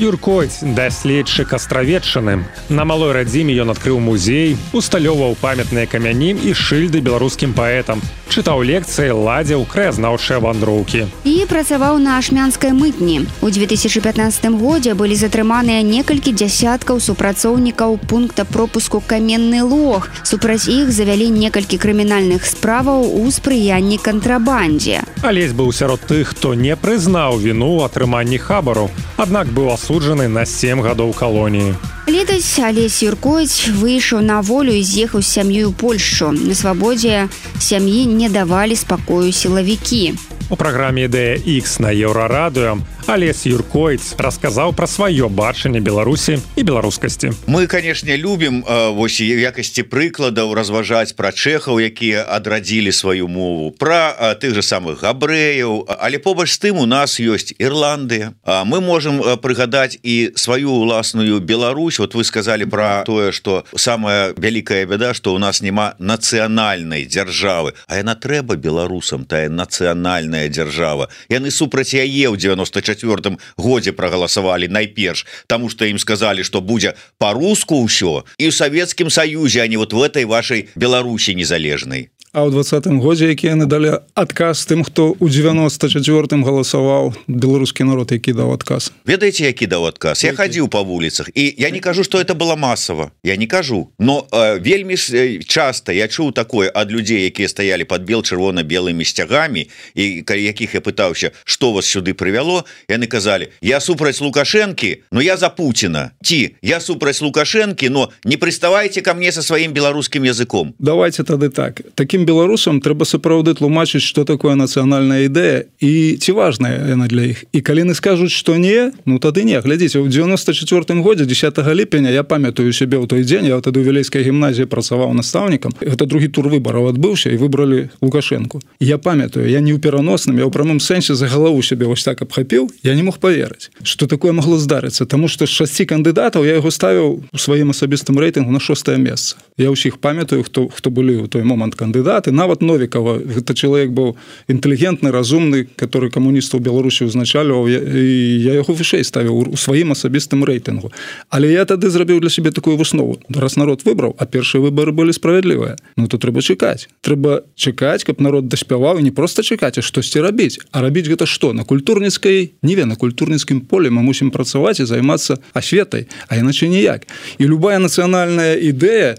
Speaker 2: Юркоіць, даследчык астравеччыны. На малой радзіме ён адкрыў музей, усталёўваў памятныя камяні і шыльды беларускім паэтам, чытаў лекцыі, ладзіў краязнаўчыя вандроўкі.
Speaker 3: І працаваў на ашмянскай мытні. У две тысячы пятнаццатым годзе былі затрыманыя некалькі дзясяткаў супрацоўнікаў пункта пропуску Каменны Лог. Супраць іх завялі некалькі крымінальных справаў у спрыянні кантрабандзе.
Speaker 2: Алесь быў сярод тых, хто не прызнаў віну ў атрыманні хабару, аднак быў асуджаны на сем гадоў калоніі.
Speaker 3: Летась Алесь Юркоіць выйшаў на волю і з'ехаў з сям'ёй у Польшчу. На свабодзе сям'і не давалі спакою сілавікі.
Speaker 2: У праграме «Ідэя Х» на Еўрарадыё Алесь Юркоіць расказаў пра сваё бачанне Беларусі і беларускасці.
Speaker 7: Мы, канешне, любім вось у якасці прыкладаў разважаць пра чэхаў, якія адрадзілі сваю мову, пра тых жа самых габрэяў, але побач з тым у нас ёсць Ірландыя. Мы можам прыгадаць і сваю ўласную Беларусь. Вот вы сказалі пра тое, што самая вялікая бяда, што ў нас няма нацыянальнай дзяржавы, а яна трэба беларусам, тая нацыянальная дзяржава. Яны супраць яе ў девяносто четвёртым годзе прагаласавалі найперш, таму што ім сказалі, што будзе па-руску ўсё і ў Савецкім Саюзе, а не вот в этой вашай Беларусі незалежнай.
Speaker 6: А ў двадцатым годзе, які яны далі адказ тым, хто ў девяносто четвёртым галасаваў, беларускі народ, які даў адказ.
Speaker 7: Ведаеце, які даў адказ? Я хадзіў па вуліцах, і я не кажу, што это было масава. Я не кажу. Но э, вельмі ж часта я чуў такое ад людзей, якія стаялі пад бел-чырвона-белымі сцягамі, і якіх я пытаўся, што вас сюды прывяло, яны казалі: я супраць Лукашэнкі, но я за Пуціна. Ці, я супраць Лукашэнкі, но не прыставайце ка мне са сваім беларускім языком.
Speaker 6: Давайте тады так. Такім беларусам трэба сапраўды тлумачыць, што такое нацыянальная ідэя і ці важная яна для іх. І калі яны скажуць, што не, ну тады не. Глядзіце, ў девяносто четвёртым годзе дзесятага ліпеня я памятаю сябе ў той дзень, я тады ў Вілейскай гімназіі працаваў настаўнікам. Гэта другі тур выбараў адбыўся і выбралі Лукашэнку. Я памятаю, я не ў пераносным, я ў прамым сэнсе за галаву сябе вось так абхапіў, я не мог паверыць, што такое магло здарыцца, таму што з шасці кандыдатаў я яго ставіў у сваім асабістым рэйтынгу на шостае месца. Я ўсіх памятаю, хто хто былі ў той момант кандыдаты. Нават Новікава, гэта чалавек быў інтэлігентны, разумны, который камуністаў Беларусі ўзначальваў, і я яго вышэй ставіў у сваім асабістым рэйтынгу. Але я тады зрабіў для сябе такую выснову. Раз народ выбраў, а першыя выбары былі справядлівыя, ну то трэба чакаць. Трэба чакаць, каб народ даспяваў, і не проста чакаць, а штосьці рабіць. А рабіць гэта што? На культурніцкай ніве, на культурніцкім полі мы мусім працаваць і займацца асветай, а іначай ніяк. І любая нацыянальная ідэя,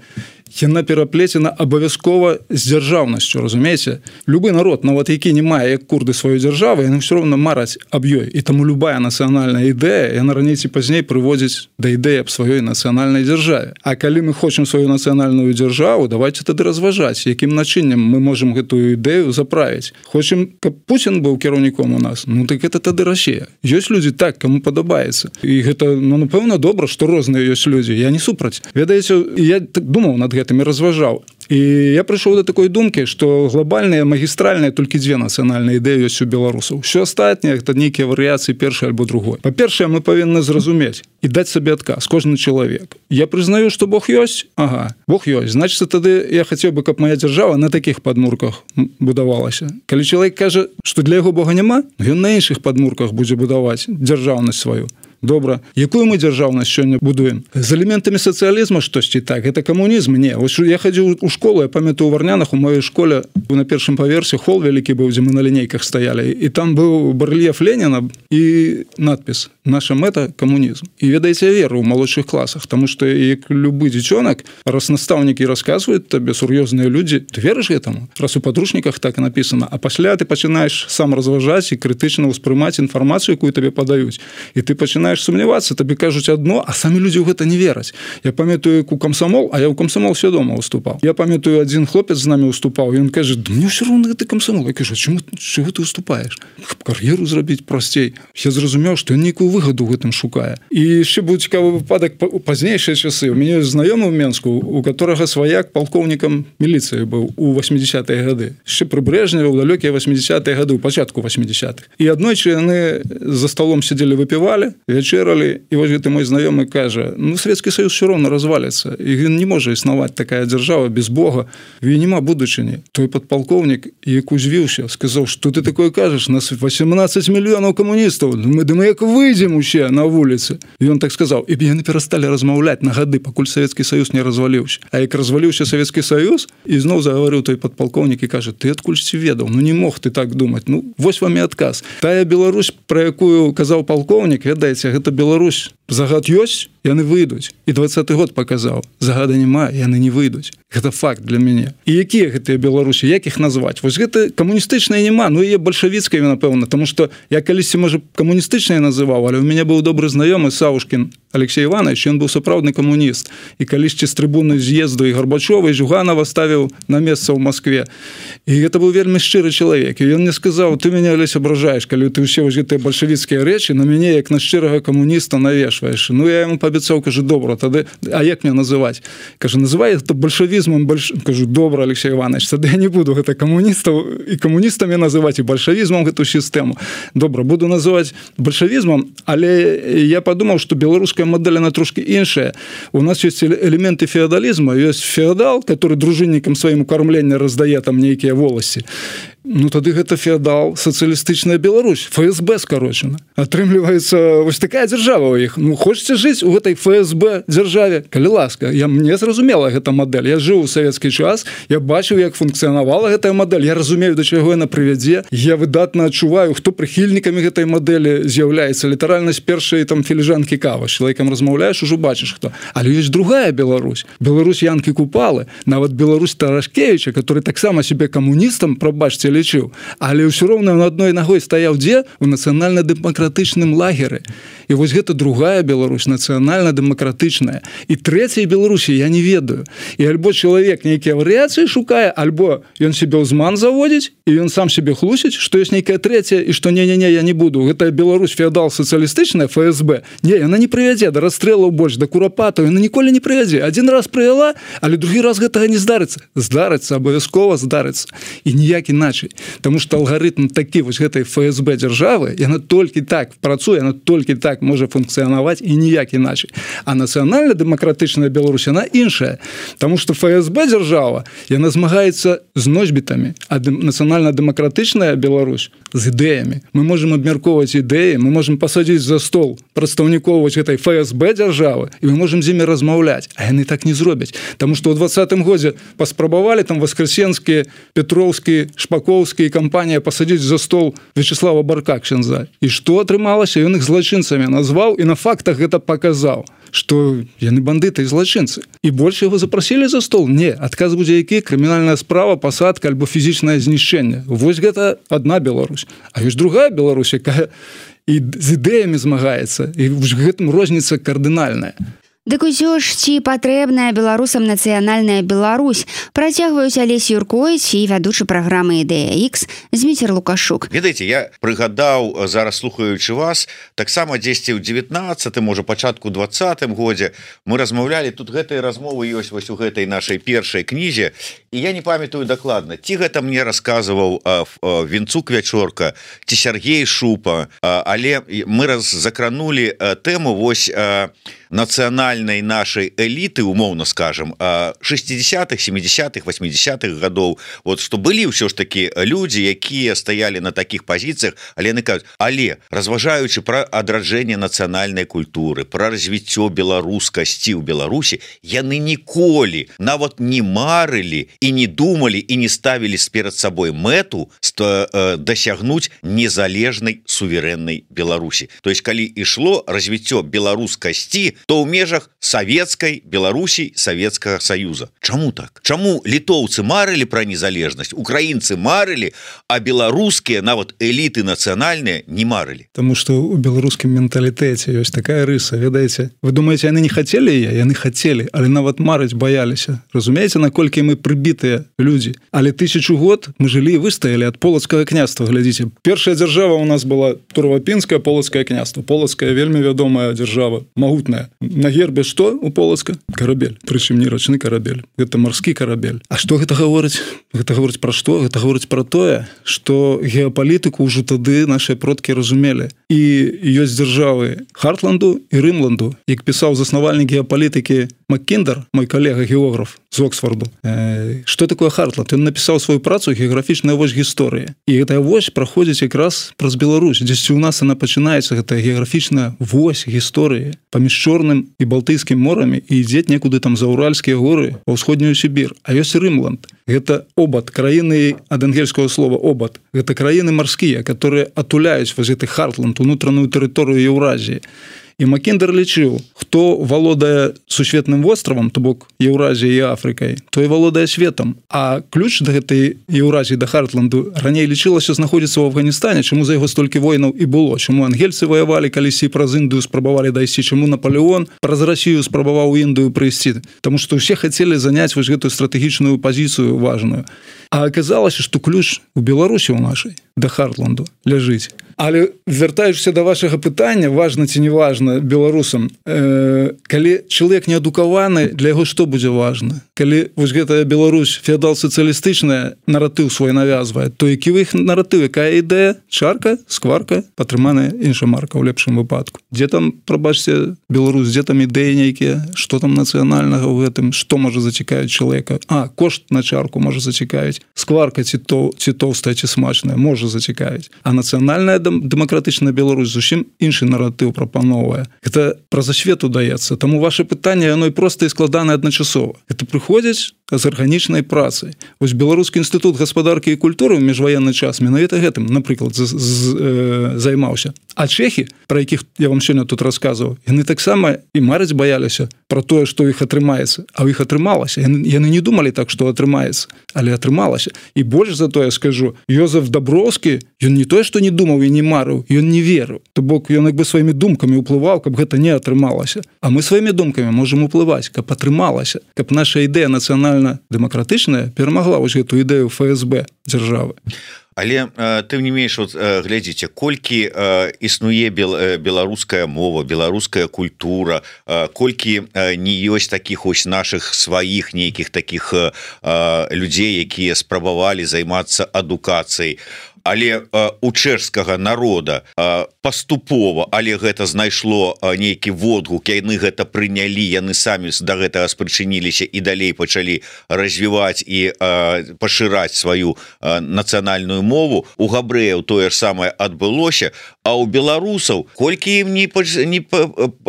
Speaker 6: яна пераплецена абавязкова з дзяржаўнасцю, разумееце? Любы народ, нават які не мае як курды сваю дзяржаву, яны ўсё роўна мараць аб ёй. І таму любая нацыянальная ідэя, яна раней ці пазней прыводзіць да ідэі аб сваёй нацыянальнай дзяржаве. А калі мы хочам сваю нацыянальную дзяржаву, давайте тады разважаць, якім начыннем мы можам гэтую ідэю заправіць. Хочам, каб Пуцін быў кіраўніком у нас, ну так гэта тады Расія. Ёсць людзі так, каму падабаецца. І гэта, ну, напэўна, добра, што розныя ёсць людзі. Я не супраць. Ведаеце, я так думаў над гэтым і разважаў. І я прыйшоў да такой думкі, што глобальныя, магістральныя толькі дзве нацыянальныя ідэі ёсць у беларусаў. Усё астатняе гэта нейкія варыяцыі першай альбо другой. Па-першае, мы павінны зразумець і даць сабе адказ, кожны чалавек. Я прызнаю, што Бог ёсць? Ага, Бог ёсць. Значыцца, тады я хацеў бы, каб моя дзяржава на такіх падмурках будавалася. Калі чалавек кажа, што для яго Бога няма, ён на іншых падмурках будзе будаваць дзяржаўнасць сваю. добра. Якую мы дзяржаўнасць сёння будуем? З элементамі сацыялізма штосьці так, гэта камунізм? Не. Вось я хадзіў у школу, я памятаю, у Варнянах у маёй школе на першым паверсе хол вялікі быў, дзе мы на лінейках стаялі, і там быў барэльеф Леніна і надпіс «Наша мэта – камунізм». І ведаеце, я веру ў малодшых класах, таму што як любы дзіцёнак, раз настаўнікі расказваюць табе сур'ёзныя людзі, ты верыш гэтаму? Раз у падручніках так і напісана, а пасля ты пачынаеш сам разважаць і крытычна ўспрымаць інфармацыю, якую табе падаюць. І ты пачынаеш сумнявацца, табе кажуць адно, а самі людзі ў гэта не вераць. Я памятаю, як у камсамол, а я ў камсамол свядома выступаў. Я памятаю, адзін хлопец з намі выступаў, і ён кажа: «Да мне ўсё роўна гэты камсамол». Я кажу: «Чаму, чаго ты выступаеш? Кар'еру зрабіць прасцей». Я зразумеў, што ён нейкую выгаду ў гэтым шукае. І яшчэ быў цікавы выпадак у пазнейшыя часы. У мяне знаёмы ў Менску, у которага сваяк палкоўнікам міліцыі быў у восьмідзесятыя гады. Яшчэ пры Брэжневе ў далёкія восьмідзесятыя гады, у пачатку восьмідзесятых. І аднойчы яны за столом сидзелі, выпівалі, вячэралі, і вось гэты мой знаёмы кажа: «Ну, Савецкі Саюз все роўна разваліцца, і не можа існаваць такая дзяржава без Бога, і няма будучыні». Той падпалкоўнік, як узвіўся, сказаў: «Што ты такое кажаш? Нас восемнадцать мільёнаў камуністаў, мы думаем, як выйдзем усе на вуліцы». І ён так сказаў, і яны перасталі размаўляць на гады, пакуль Савецкі Саюз не разваліўся. А як разваліўся Савецкі Саюз, і зноў загаварыў той падпалкоўнік і кажа: «Ты адкульсьці ведаў? Ну не мог ты так думаць. Ну вось вам і адказ. Тая Беларусь, пра якую казаў палкоўнік, ведаеце, гэта Беларусь. Загад ёсць, яны выйдуць. І двадцаты год паказаў. Загада няма, яны не выйдуць. Гэта факт для мяне. І якія гэтыя Беларусі, як іх назваць? Вось гэта камуністычныя няма, ну і бальшавіцкая, напэўна, таму што я калісьці, можа, камуністычныя называў, але ў мяне быў добры знаёмы Саўшкін Алексей Иванович, ён быў сапраўдны камуніст. І калісьці з трыбуны з'езду і Гарбачова, і Жуганова ставіў на месца ў Маскве. І гэта быў вельмі шчыры чалавек. І ён мне сказаў: «Ты мяне, Алесь, абражаеш, калі ты ўсе вось гэтыя бальшавіцкія рэчы на мяне, як на шчырага камуніста, навешваеш». Ну, я яму паабяцаў, кажу: «Добра, тады, а як мне называць?» Кажа: «Называй гэта бальшавізмам». Больш... Кажу: «Добра, Алексей Иванович, тады я не буду гэта камуністаў і камуністамі называць, і бальшавізмам гэту сістэму. Добра, буду называць бальшавізмам, але я падумаў, што беларуская модель, она трошки іншая. У нас есть элементы феодализма, есть феодал, который дружинникам своим кормлення раздае там нейкія воласці. Ну, тады гэта феодал, сацыялістычная Беларусь, ФСБ скарочана. Атрымліваецца вось такая дзяржава ў іх. Ну, хочаце жыць у гэтай ФСБ дзяржаве? Калі ласка, я, мне зразумела гэта мадэль. Я жыў у савецкі час, я бачыў, як функцыянавала гэтая мадэль, я разумею, да чаго яна прывядзе. Я выдатна адчуваю, хто прыхільнікамі гэтай мадэлі з'яўляецца. Літаральна з першай там філіжанкі кава. З чалавекам размаўляеш, ужо бачыш хто. Але ёсць другая Беларусь. Беларусь Янкі Купалы, нават Беларусь Тарашкевіча, который таксама себе камуністам, прабачце, лічыў, але ўсё роўна на адной нагой стаяў дзе? У нацыянальна-дэмакратычным лагеры. І вось гэта другая Беларусь, нацыянальна-дэмакратычная. І трэцяй Беларусі я не ведаю. І альбо чалавек нейкія варыяцыі шукае, альбо ён себе ўзман заводзіць, і ён сам себе хлусіць, што ёсць нейкая трэцяя, і што не-не-не, я не буду. Гэтая Беларусь феодал сацыялістычная, ФСБ. Не, яна не прывядзе да расстрэлаў больш, да курапатаў, яна ніколі не прывядзе. Адзін раз прывяла, але другі раз гэтага не здарыцца. Здарыцца, абавязкова здарыцца. І ніяк іначай. Таму што алгарытм такі вось гэтай ФСБ дзяржавы, яна толькі так працуе, яна толькі так можа функцыянаваць і ніяк іначай. А нацыянальна-дэмакратычная Беларусь, яна іншая. Таму што ФСБ дзяржава, яна змагаецца з носьбітамі, а нацыянальна-дэмакратычная Беларусь з ідэямі. Мы можам абмяркоўваць ідэі, мы можам пасадзіць за стол прадстаўнікоў вось гэтай ФСБ дзяржавы, і мы можам з імі размаўляць, а яны так не зробяць. Таму што ў двадцатым годзе паспрабавалі там Воскресенскі, Петроўскі, Шпаковскі і кампанія пасадзіць за стол Вячеслава Барка ксяндза. І што атрымалася? Ён іх злачынцамі назваў і на фактах гэта паказаў, што яны бандыты і злачынцы. І больш яго запрасілі за стол? Не. Адказ будзе які? Крымінальная справа, пасадка альбо фізічнае знішчэнне. Вось гэта адна Беларусь. А ёсць другая Беларусь, якая і з ідэямі змагаецца. І гэтым розніца кардынальная.
Speaker 3: Дык усё ж, ці патрэбная беларусам нацыянальная Беларусь? Працягваюць Алесь Юрковіч і вядучы праграмы «Ідэя Х» Зміцер Лукашук.
Speaker 7: Ведаеце, я прыгадаў, зараз слухаючы вас, таксама дзесьці ў дзевятнаццатым, можа, пачатку двадцатым годзе мы размаўлялі, тут гэтыя размовы ёсць вось у гэтай нашай першай кнізе, і я не памятаю дакладна, ці гэта мне расказваў Вінцук Вячорка, ці Сергей Шупа, але мы раз закранулі тэму вось нацыянальнай нашай эліты, умоўна скажем, шестидесятых, семидесятых, восьмидесятых гадоў, вот што былі ўсё ж такі людзі, якія стаялі на такіх пазіцыях, але яны кажуць, але разважаючы пра адраджэнне нацыянальнай культуры, пра развіццё беларускасці ў Беларусі, яны ніколі нават не марылі і не думалі і не ставілі перад сабой мэту дасягнуць незалежнай суверэннай Беларусі. То есть калі ішло развіццё беларускасці, то ў межах савецкай Беларусі, Савецкага Саюза. Чаму так? Чаму літоўцы марылі пра незалежнасць, украінцы марылі, а беларускія нават эліты нацыянальныя не марылі?
Speaker 6: Таму што ў беларускім менталітэце ёсць такая рыса, ведаеце, вы думаеце, яны не хацелі яе, яны хацелі, але нават марыць баяліся. Разумееце, наколькі мы прыбітыя людзі, але тысячу год мы жылі і выстаялі ад полацкага княства. Глядзіце, першая дзяржава у нас была Турвапінскае полацкае княства. Полацкая вельмі вядомая дзяржава, магутная. На гербе што у Полацка? Карабель, прычым не рачны карабель, гэта марскі карабель. А што гэта гаворыць? Гэта гаворыць пра што? Гэта гаворыць пра тое, што геапалітыку ўжо тады нашыя продкі разумелі. І ёсць дзяржавы Хартланду і Рымланду, як пісаў заснавальнік геапалітыкі Маккіндер, мой калега-географ з Оксфорду. Э, што такое Хартланд? Ён напісаў сваю працу «Геаграфічная вось гісторыі». І гэтая вось праходзіць якраз праз Беларусь. Дзесьці ў нас яна пачынаецца, гэтая геаграфічная вось гісторыі паміж Чорным і Балтыйскім морамі і ідзе некуды там за Уральскія горы ва ўсходнюю Сібір. А ёсць Рымланд. Гэта обад, краіны ад ангельскага слова обад. Гэта краіны марскія, которые атуляюць вось гэты Хартланд, унутраную тэрыторыю Еўразіі. І Маккіндер лічыў, хто валодае сусветным востравам, то бок Еўразіяй і Афрыкай, той валодае светам. А ключ да гэтай Еўразіі, да Хартланду, раней лічылася знаходзіцца ў Афганістане, чаму за яго столькі войнаў і было, чаму ангельцы ваявалі калісьці праз Індыю спрабавалі дайсці, чаму Наполеон праз Расію спрабаваў у Індыю прыйсці, таму што ўсе хацелі заняць вось гэтую стратэгічную пазіцыю важную. А аказалася, што ключ у Беларусі ў нашай да Хартланду ляжыць. Але вяртаючыся да вашага пытання, важна ці не важна беларусам, э, калі чалавек неадукаваны, для яго што будзе важна? Калі вось гэтая Беларусь феадал-сацыялістычная наратыў свой навязвае, то які ў іх наратыў, якая ідэя? Чарка, скварка, падтрыманая інша марка ў лепшым выпадку. Дзе там, прабачце, Беларусь, дзе там ідэі нейкія, што там нацыянальнага ў гэтым, што можа зацікавіць чалавека? А, кошт на чарку можа зацікавіць. Скварка ці, то, ці тоўстая, ці смачная, можа зацікавіць. А нацыянальная дэмакратычная Беларусь зусім іншы наратыў прапановвае. Гэта праз асвету даецца. Таму ваше пытанне, яно і проста і складанае адначасова. Гэта прыходзіць з арганічнай працай. Вось Беларускі інстытут гаспадаркі і культуры ў міжваенны час менавіта гэтым, напрыклад, з, з, э, займаўся. А чэхі, пра якіх я вам сёння тут расказваў, яны таксама і марыць баяліся пра тое, што ў іх атрымаецца. А ў іх атрымалася. Яны, яны не думалі так, што атрымаецца, але атрымалася. І больш за тое скажу, Йозеф Даброўскі, ён не тое, што не думаў і не марыў, ён не верыў. То бок ён як бы сваімі думкамі ўплываў, каб гэта не атрымалася. А мы сваімі думкамі можам уплываць, каб атрымалася, каб наша ідэя нацыянальна-дэмакратычная перамагла вось гэту ідэю эф эс бэ дзяржавы.
Speaker 7: Але тым не менш, вот, глядзіце, колькі э, існуе бел, э, беларуская мова, беларуская культура, э, колькі э, не ёсць такіх ось наших сваіх нейкіх такіх э, людзей, якія спрабавалі займацца адукацыяй. Але э, у чэшскага народа э, паступова, але гэта знайшло э, нейкі водгук, яны гэта прынялі, яны самі да гэтага спрычыніліся і далей пачалі развіваць і э, пашыраць сваю э, нацыянальную мову. У габрэяў тое ж самае адбылося, а у беларусаў колькі ім не, не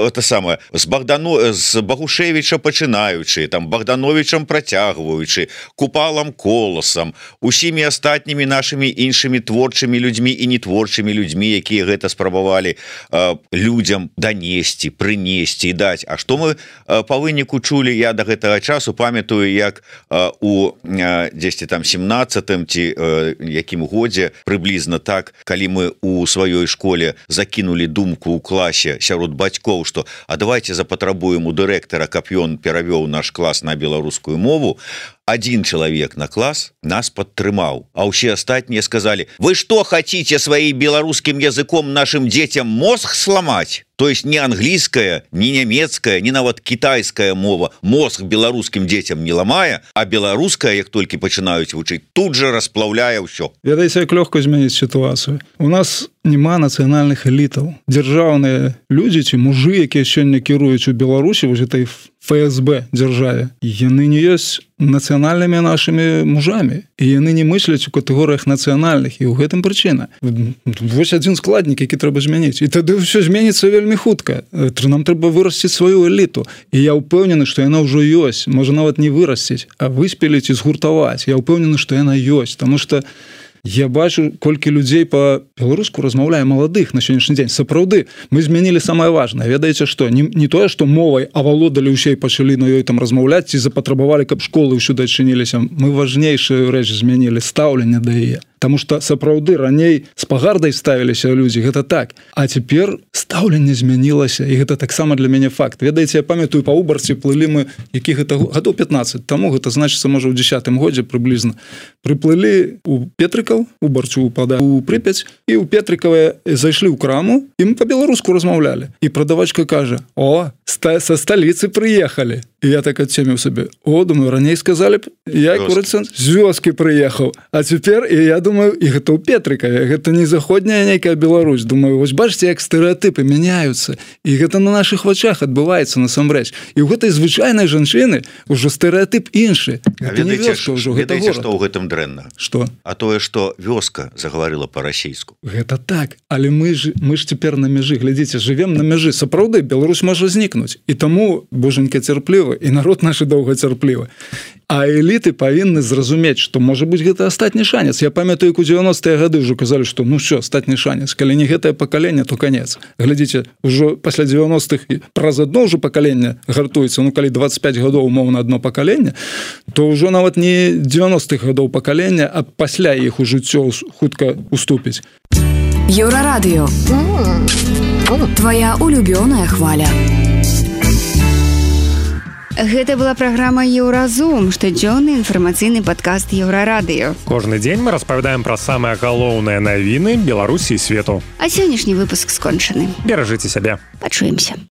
Speaker 7: это самае з Богдано, з Багушевіча пачынаючы, там Богдановичам працягваючы, Купалам Коласам, усімі астатнімі нашымі іншымі творчымі людзьмі і нетворчымі людзьмі, якія гэта спрабавалі э, людзям данесці, прынесці і даць. А што мы э, па выніку чулі, я да гэтага часу памятаю, як э, у э, дзесьці там семнаццатым ці э, якім годзе прыблізна так, калі мы у сваёй школе закінулі думку ў класе сярод бацькоў, што а давайте запатрабуем у дырэктара, каб ён перавёў наш клас на беларускую мову, один человек на класс нас подтрымаў, а ўсе астатнія сказали: вы что хотите своим белорусским языком нашим детям мозг сломать? То есть не англійская, не нямецкая, не нават китайская мова мозг беларускім дзецям не ламае, а беларуская, як толькі пачынаюць вучыць, тут же расплаўляе ўсё.
Speaker 6: Ведаеце, як лёгка змяніць сітуацыю. У нас няма нацыянальных элітаў. Дзяржаўныя людзі ці мужы, якія сёння кіруюць у Беларусі вось этой ФСБ дзяржаве, яны не ёсць нацыянальнымі нашымі мужамі, і яны не мысляць у катэгорыях нацыянальных, і ў гэтым прычына. Вось адзін складнік, які трэба змяніць. І тады ўсё зменіцца вельмі хутка. Нам трэба вырасціць сваю эліту. І я ўпэўнены, што яна ўжо ёсць. Можа нават не вырасціць, а выспеліць і згуртаваць. Я ўпэўнены, што яна ёсць, таму што я бачу, колькі людзей па-беларуску размаўляе маладых на сённяшні дзень. Сапраўды, мы змянілі самае важнае. Ведаеце што? Не, не тое, што мовай авалодалі ўсе і пачалі на ёй там размаўляць, ці запатрабавалі, каб школы ўсюды адчыніліся. Мы важнейшую рэч змянілі, стаўленне да яе. Таму што сапраўды раней з пагардай ставіліся людзі, гэта так. А цяпер стаўленне змянілася, і гэта таксама для мяне факт. Ведаеце, я памятаю, па Убарці плылі мы, які гэта гадоў пятнаццаць таму, гэта значыцца, можа, ў дзесятым годзе прыблізна. Прыплылі у Петрыкаў, у Барцу упада у Прыпяць, і ў Петрыкаве зайшлі ў краму, і мы па-беларуску размаўлялі. І прадавачка кажа: «О, са сталіцы прыехалі». І я так адцеміў сабе: «О, думаю, раней сказалі б, я, курыца, з вёскі прыехаў. А цяпер, і я думаю, і гэта ў Петрыкаве, гэта не заходняя нейкая Беларусь. Думаю, вось бачыце, як стэрэатыпы мяняюцца. І гэта на нашых вачах адбываецца насамрэч. І ў гэтай звычайнай жанчыны ўжо стэрэатып іншы.
Speaker 7: Гэта не вёска ўжо, гэта горад. Ведаеце, што ў гэтым дрэнна?
Speaker 6: Што?
Speaker 7: А тое, што вёска загаварыла па-расейску.
Speaker 6: Гэта так, але мы ж, мы ж цяпер на мяжы. Глядзіце, жывем на мяжы. Сапраўды, Беларусь можа знікнуць. І таму, божанька, цярпліва, і народ наш доўгацярплівы. А эліты павінны зразумець, што можа быць гэта астатні шанец. Я памятаю, як у дзевяностыя гады ўжо казалі, што ну що, астатні шанец. Калі не гэтае пакаленне, то канец. Глядзіце, ўжо пасля дзевяностых праз адно ўжо пакаленне гартуецца. Ну, калі дваццаць пяць гадоў умоўна адно пакаленне, то ўжо нават не дзевяностых гадоў пакалення, а пасля іх у жыццё хутка уступіць.
Speaker 9: Еўрарадыё. Твоя улюбёная хваля.
Speaker 3: Гэта была праграма «Еўразум», штодзённы інфармацыйны падкаст «Еўрарадыё».
Speaker 2: Кожны дзень мы распавядаем пра самыя галоўныя навіны Беларусі і свету.
Speaker 3: А сённяшні выпуск скончаны.
Speaker 2: Беражыце сябе.
Speaker 3: Пачуемся.